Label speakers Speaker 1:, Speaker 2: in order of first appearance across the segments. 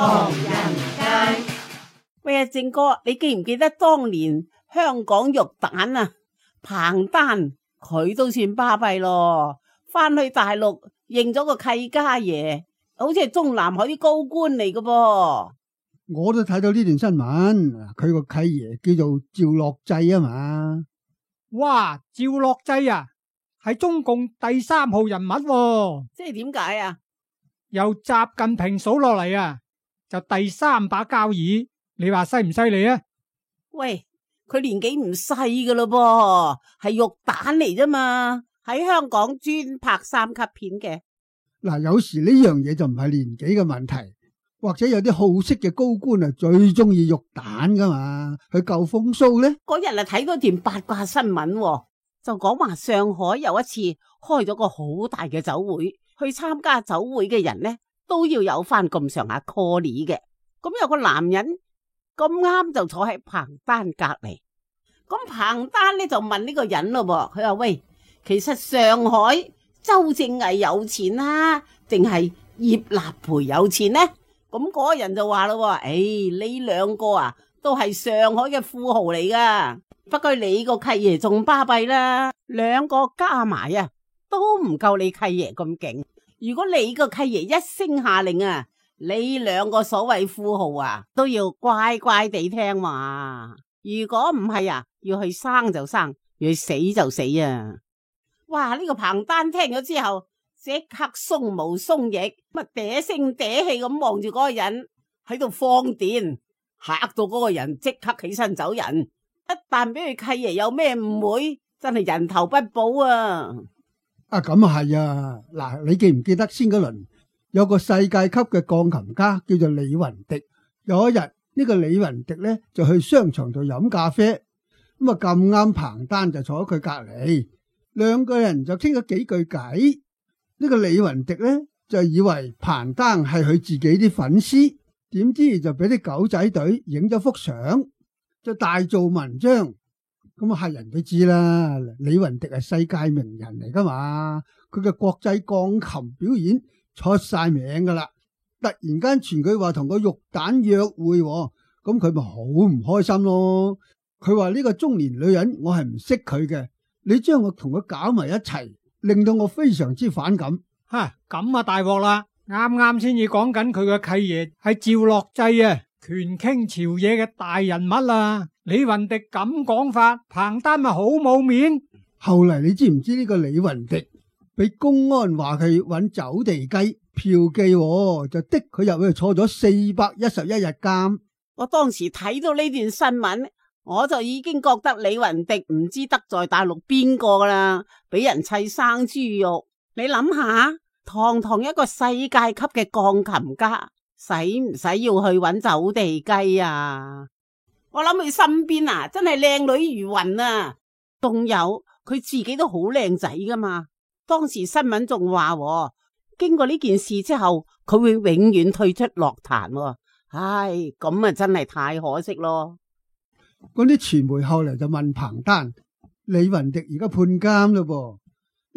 Speaker 1: 唐人街。
Speaker 2: 喂啊，正哥，你記唔記得當年香港玉蛋啊？彭丹佢都算巴閉咯，翻去大陸認咗個契家爺，好似係中南海啲高官嚟㗎噃。
Speaker 3: 我都睇到呢段新聞，佢個契爺叫做趙樂際啊嘛。
Speaker 4: 哇，趙樂際啊，係中共第3號人物喎。
Speaker 2: 即係點解啊？
Speaker 4: 由習近平數落嚟啊，就第3把交椅，你話犀唔犀利啊？
Speaker 2: 喂，佢年紀唔細噶咯噃，係玉蛋嚟啫嘛，喺香港專拍3級片嘅。
Speaker 3: 嗱，有時呢樣嘢就唔係年紀嘅問題，或者有啲好色嘅高官啊，最中意玉蛋噶嘛，去救風騷呢。
Speaker 2: 嗰日啊睇嗰段八卦新聞，就講話上海有一次開咗個好大嘅酒會，去參加酒會嘅人呢都要有翻咁上下 call 嘅。咁有個男人咁啱就坐喺彭丹隔籬，咁彭丹呢就問呢個人咯，佢話喂，其實上海周正毅有錢啊，定係葉立培有錢呢？咁嗰個人就話咯，呢兩個啊都係上海嘅富豪嚟噶，不過你個契爺仲巴閉啦，兩個加埋啊都唔夠你契爺咁勁。如果你個契爺一聲下令啊，你兩個所謂富豪啊都要乖乖地聽話，如果唔係啊，要去生就生，要去死就死啊！哇！呢個彭丹聽咗之後，即刻鬆毛鬆翼，乜嗲聲嗲氣咁望住嗰個人喺度放電，嚇到嗰個人即刻起身走人。一旦俾佢契爺有咩誤會，真係人頭不保啊！
Speaker 3: 咁啊係啊！嗱，你記唔記得先嗰輪有個世界級嘅鋼琴家叫做李雲迪？有一日呢個李雲迪呢就去商場度飲咖啡，咁啊咁啱彭丹就坐喺佢隔籬，兩個人就傾咗幾句偈。呢個李雲迪呢就以為彭丹係佢自己啲粉絲，點知就俾啲狗仔隊影咗幅相，就大做文章。咁啊，係人都知啦，李雲迪係世界名人嚟噶嘛，佢嘅國際鋼琴表演出晒名噶啦。突然間傳佢話同個玉蛋約會，咁佢咪好唔開心咯。佢話呢個中年女人我係唔識佢嘅，你將我同佢搞埋一齊，令到我非常之反感。
Speaker 4: 咁啊大鑊啦！啱啱先至講緊佢嘅契爺係趙樂際啊，權傾朝野嘅大人物啊。李雲迪咁講法，彭丹咪好冇面。
Speaker 3: 後嚟你知唔知呢個李雲迪俾公安話佢搵走地雞嫖妓，就的佢入去坐咗411日監。
Speaker 2: 我當時睇到呢段新聞，我就已經覺得李雲迪唔知得罪大陸邊個噶啦，俾人砌生豬肉。你諗下，堂堂一個世界級嘅鋼琴家，使唔使要去搵走地雞啊？我諗佢身邊啊，真係靚女如雲啊，仲有佢自己都好靚仔噶嘛。當時新聞仲話，經過呢件事之後，佢會永遠退出樂壇。唉，咁啊真係太可惜咯。
Speaker 3: 嗰啲傳媒後嚟就問彭丹，李雲迪而家判監咯噃，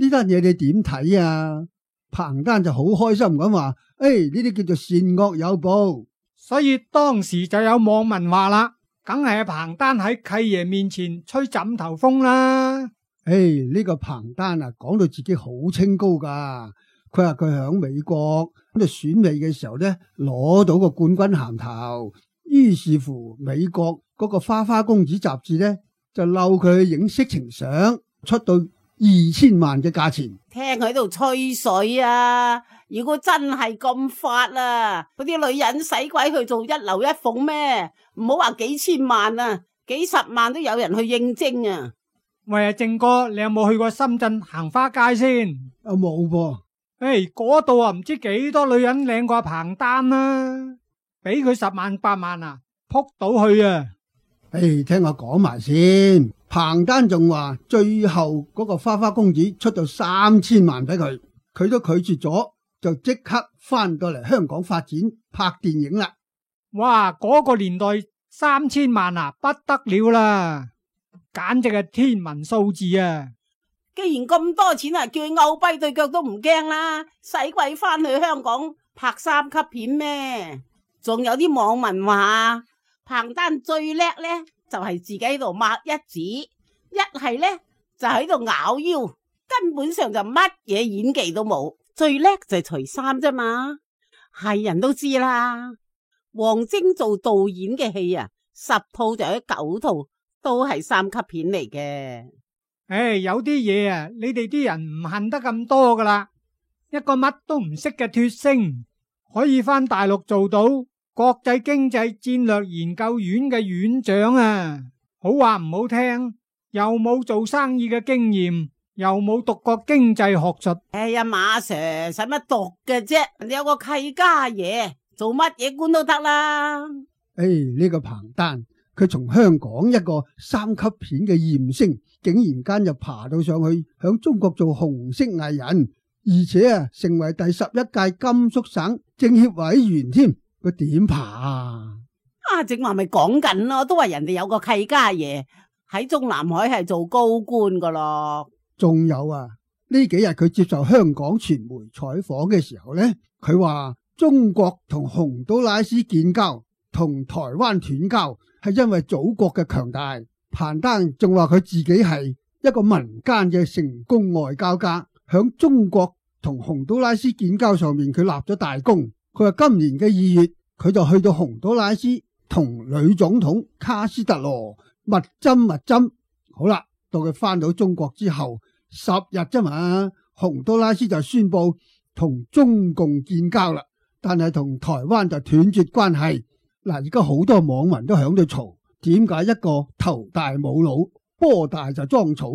Speaker 3: 呢單嘢你點睇啊？彭丹就好開心咁話，呢啲叫做善惡有報。
Speaker 4: 所以當時就有網民話啦，梗係彭丹喺契爺面前吹枕頭風啦。
Speaker 3: 呢個彭丹啊，講到自己好清高噶。佢話佢響美國咁就選美嘅時候呢，攞到個冠軍銜頭。於是乎，美國嗰個花花公子雜誌呢，就嬲佢影色情相，出到2000萬嘅價錢。
Speaker 2: 聽佢喺度吹水啊！如果真係咁發啊，嗰啲女人使鬼去做一樓一鳳咩？唔好話幾千萬啊，幾十萬都有人去應徵啊！
Speaker 4: 喂，正哥，你有冇去過深圳行花街先？
Speaker 3: 冇噃。
Speaker 4: 嗰度啊，唔知幾多女人靚過彭丹啊，俾佢10萬8萬啊，撲到去啊！
Speaker 3: 聽我講埋先。彭丹仲話最後嗰個花花公子出到3000萬俾佢，佢都拒絕咗，就即刻翻到嚟香港發展拍電影啦。
Speaker 4: 哇！嗰個年代3000萬啊，不得了啦，簡直係天文數字啊！
Speaker 2: 既然咁多錢啊，叫佢拗跛對腳都唔驚啦，使鬼翻去香港拍3級片咩？仲有啲網民話彭丹最叻呢，就係自己喺度抹一指，一係呢，就喺度咬腰，根本上就乜嘢演技都冇。最叻就係除衫啫嘛，係人都知啦。王晶做導演嘅戲啊，10套就有9套都係3級片嚟嘅。
Speaker 4: 有啲嘢啊，你哋啲人唔恨得咁多噶啦。一個乜都唔識嘅脫星，可以返大陸做到國際經濟戰略研究院嘅院長啊！好話唔好聽，又冇做生意嘅經驗，又冇讀過經濟學術。
Speaker 2: 哎呀，馬 Sir 使乜讀嘅啫？人哋有個契家爺，做乜嘢官都得啦。
Speaker 3: 呢個彭丹，佢從香港一個3級片嘅艷星，竟然間就爬到上去，響中國做紅色藝人，而且成為第11屆甘肅省政協委員添。佢點爬啊？
Speaker 2: 正話咪講緊咯，都話人哋有個契家爺喺中南海係做高官噶咯。
Speaker 3: 仲有呢幾日佢接受香港傳媒採訪嘅時候呢，佢話中國同洪都拉斯建交，同台灣斷交，係因為祖國嘅強大。彭丹仲話佢自己係一個民間嘅成功外交家，響中國同洪都拉斯建交上面佢立咗大功。佢話今年嘅2月，佢就去到洪都拉斯同女總統卡斯特羅密針。好啦，到佢翻到中國之後10日啫嘛，洪都拉斯就宣布同中共建交啦，但係同台灣就斷絕關係。而家好多網民都響度嘈，點解一個頭大冇腦、波大就裝草、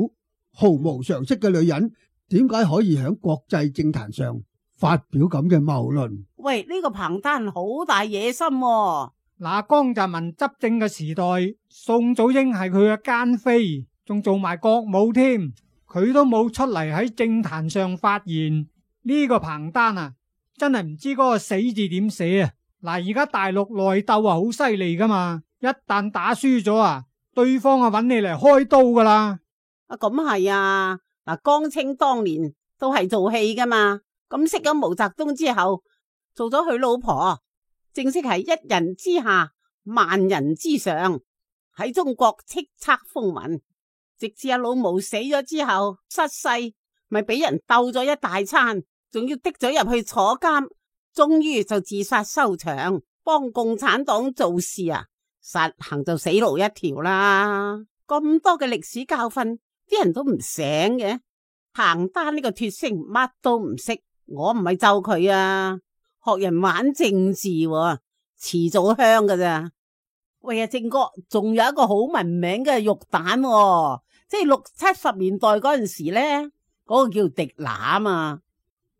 Speaker 3: 毫無常識嘅女人，點解可以響國際政壇上發表咁嘅謬論？
Speaker 2: 喂，呢個彭丹好大野心喎。
Speaker 4: 江澤民執政嘅時代，宋祖英係佢嘅奸妃，仲做埋國母添，佢都冇出嚟喺政壇上發言。呢個彭丹啊，真係唔知嗰個死字點寫啊！而家大陸內鬥好犀利噶嘛，一旦打輸咗對方揾你嚟開刀噶啦。
Speaker 2: 咁係啊，江青當年都係做戲噶嘛，咁識咗毛澤東之後，做咗佢老婆，正式係一人之下，萬人之上，喺中國叱咤風雲。直至阿老毛死咗之後失勢，咪俾人鬥咗一大餐，仲要滴咗入去坐監，終於就自殺收場，幫共產黨做事實行就死路一條啦。咁多嘅歷史教訓，啲人都唔醒嘅。彭丹呢個脫星乜都唔識，我唔係咒佢學人玩政治遲早香噶咋。喂正哥，仲有一個好聞名嘅肉蛋即係60、70年代嗰陣時呢，嗰個叫狄娜啊嘛。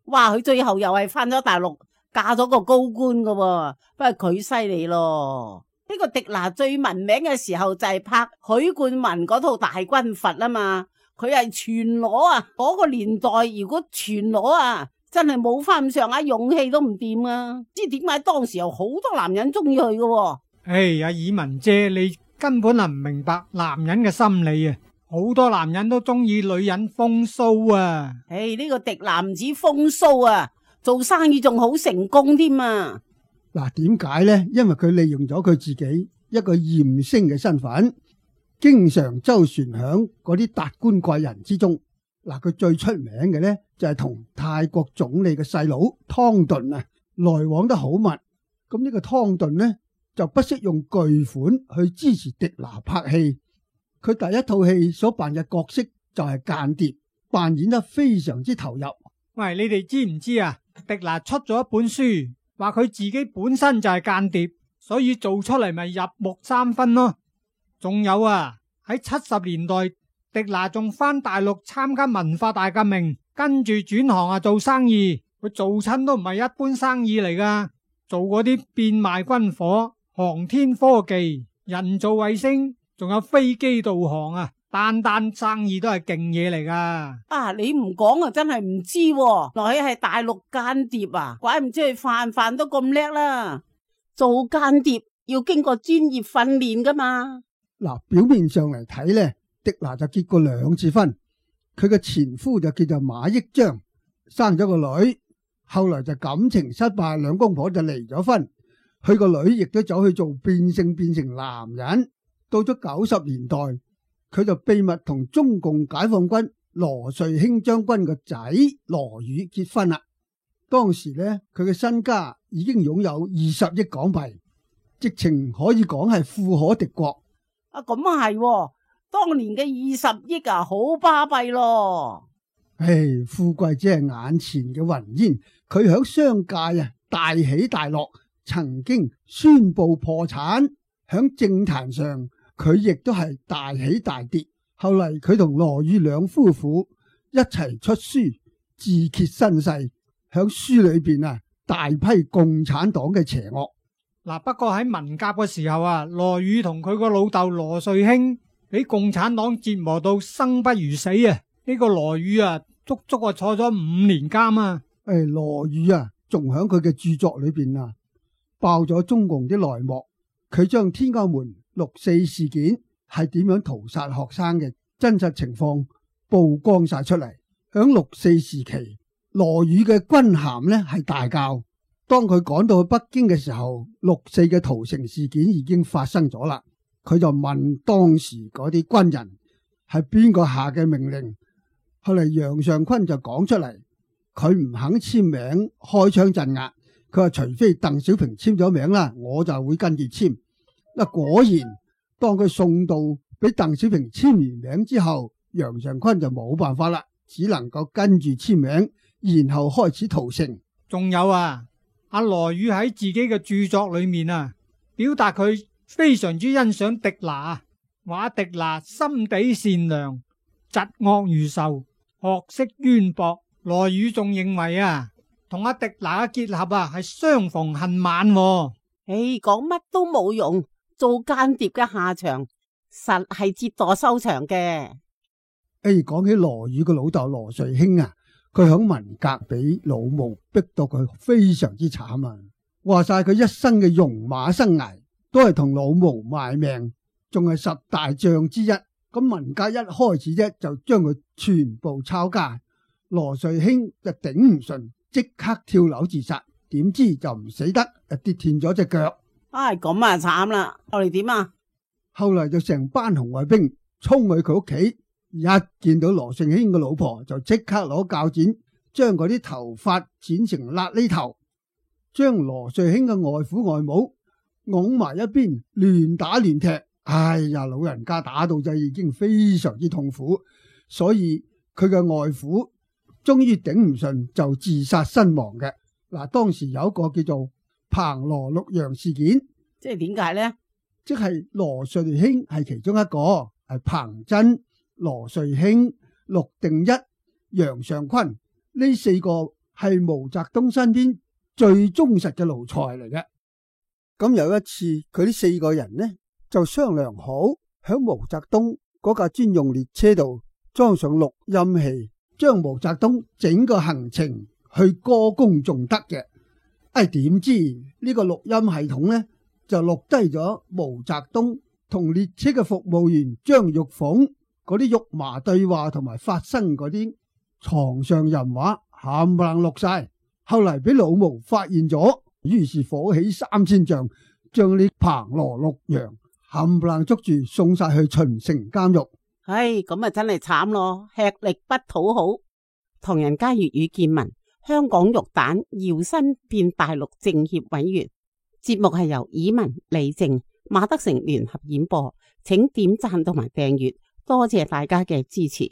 Speaker 2: 哇，佢最後又係翻咗大陸，嫁咗個高官噶不過佢犀利咯。呢個狄娜最聞名嘅時候就係拍許冠文嗰套大軍閥嘛，佢係全裸嗰個年代如果全裸真係冇翻咁上下勇氣都唔掂知點解當時有好多男人中意佢噶？
Speaker 4: 以文姐，你根本唔明白男人嘅心理好多男人都中意女人風騷
Speaker 2: 呢個狄娜唔止風騷做生意仲好成功添
Speaker 3: 點解呢？因為佢利用咗佢自己一個艷星嘅身份，經常周旋響嗰啲達官貴人之中。佢最出名嘅呢，就係同泰國總理嘅細佬湯頓來往得好密。咁呢個湯頓呢，就不惜用巨款去支持狄娜拍戲。佢第一套戲所扮嘅角色就係間諜，扮演得非常之投入。
Speaker 4: 喂，你哋知唔知狄娜出咗一本書，話佢自己本身就係間諜，所以做出嚟咪入木三分咯。仲有喺70年代，狄娜仲翻大陸參加文化大革命，跟住轉行做生意。佢做親都唔係一般生意嚟噶，做嗰啲變賣軍火、航天科技、人造衛星，仲有飛機導航單生意都係勁嘢嚟噶。
Speaker 2: 你唔講真係唔知來係大陸間諜怪唔知佢飯都咁叻啦。做間諜要經過專業訓練噶嘛。
Speaker 3: 表面上嚟睇呢，狄娜就結過2次婚，佢嘅前夫就叫做馬益章，生咗個女，後來就感情失敗，兩公婆就離咗婚。佢個女亦都走去做變性，變成男人。到咗90年代，佢就秘密同中共解放軍羅瑞卿將軍個仔羅宇結婚啦。當時呢，佢嘅身家已經擁有20億港幣，直情可以講係富可敵國。
Speaker 2: 啊，咁啊係，當年嘅20億啊，好巴閉咯。
Speaker 3: 唉，富貴只係眼前嘅雲煙，佢響商界啊大起大落，曾經宣布破產。響政壇上，佢亦都係大起大跌。後嚟佢同羅宇兩夫婦一齊出書，自揭身世。響書裏邊啊，大批共產黨嘅邪惡。
Speaker 4: 嗱，不過喺文革嘅時候啊，羅宇同佢個老豆羅瑞卿俾共產黨折磨到生不如死啊！呢個羅宇啊，足足啊坐咗5年監啊！
Speaker 3: 羅宇啊，仲響佢嘅著作裏邊啊，爆咗中共啲內幕。佢將天安門6·4事件係點樣屠殺學生嘅真實情況曝光晒出嚟。響6·4時期，羅宇嘅軍銜呢係大校。當佢趕到去北京嘅時候，6·4嘅屠城事件已經發生咗啦。佢就問當時嗰啲軍人係邊個下嘅命令。後嚟楊尚昆就講出嚟，佢唔肯簽名開槍鎮壓。佢話除非鄧小平簽咗名啦，我就會跟住簽。嗱，果然當佢送到俾鄧小平簽完名之後，楊尚昆就冇辦法啦，只能夠跟住簽名，然後開始屠城。
Speaker 4: 仲有啊，阿羅宇喺自己嘅著作裏面啊，表達佢非常之欣賞狄娜，話狄娜心地善良，疾惡如仇，學識淵博。羅宇仲認為啊，同阿狄娜嘅結合啊係相逢恨晚。
Speaker 2: 講乜都冇用，做間諜嘅下場實係折墮收場嘅。
Speaker 3: 講起羅宇嘅老豆羅瑞卿啊，佢響文革俾老毛逼到佢非常之慘啊！話晒佢一生嘅戎馬生涯都係同老毛賣命，仲係10大將之一。咁文革一開始啫，就將佢全部抄家。羅瑞卿就頂唔順，即刻跳樓自殺，點知就唔死得，跌斷咗隻腳。
Speaker 2: 咁啊慘啦！後嚟點啊？
Speaker 3: 後嚟就成班紅衛兵衝去佢屋企，一見到羅瑞卿嘅老婆就即刻攞鉸剪將嗰啲頭髮剪成瘌痢頭，將羅瑞卿嘅外父外母拱埋一邊，亂打亂踢。老人家打到就已經非常之痛苦，所以佢嘅外父終於頂唔順就自殺身亡嘅。當時有一個叫做彭羅陸楊事件，
Speaker 2: 即係點解呢？
Speaker 3: 即係羅瑞卿係其中一個，係彭真、羅瑞卿、陸定一、楊尚昆呢4個係毛澤東身邊最忠實嘅奴才嚟嘅。咁有一次，佢呢4個人呢就商量好，響毛澤東嗰架專用列車度裝上錄音器，將毛澤東整個行程去歌功頌德嘅。點知呢個錄音系統呢就錄低咗毛澤東同列車嘅服務員張玉鳳嗰啲肉麻對話同埋發生嗰啲床上淫話冚唪唥錄晒。後嚟俾老毛發現咗，於是火起3000丈，將呢彭羅陸楊冚唪唥捉住，送晒去秦城監獄。
Speaker 2: 咁啊真係慘咯，吃力不討好。唐人街粵語見聞，香港玉蛋搖身變大陸政協委員。節目係由以文、李靜、馬德成聯合演播，請點讚同埋訂閱，多謝大家嘅支持。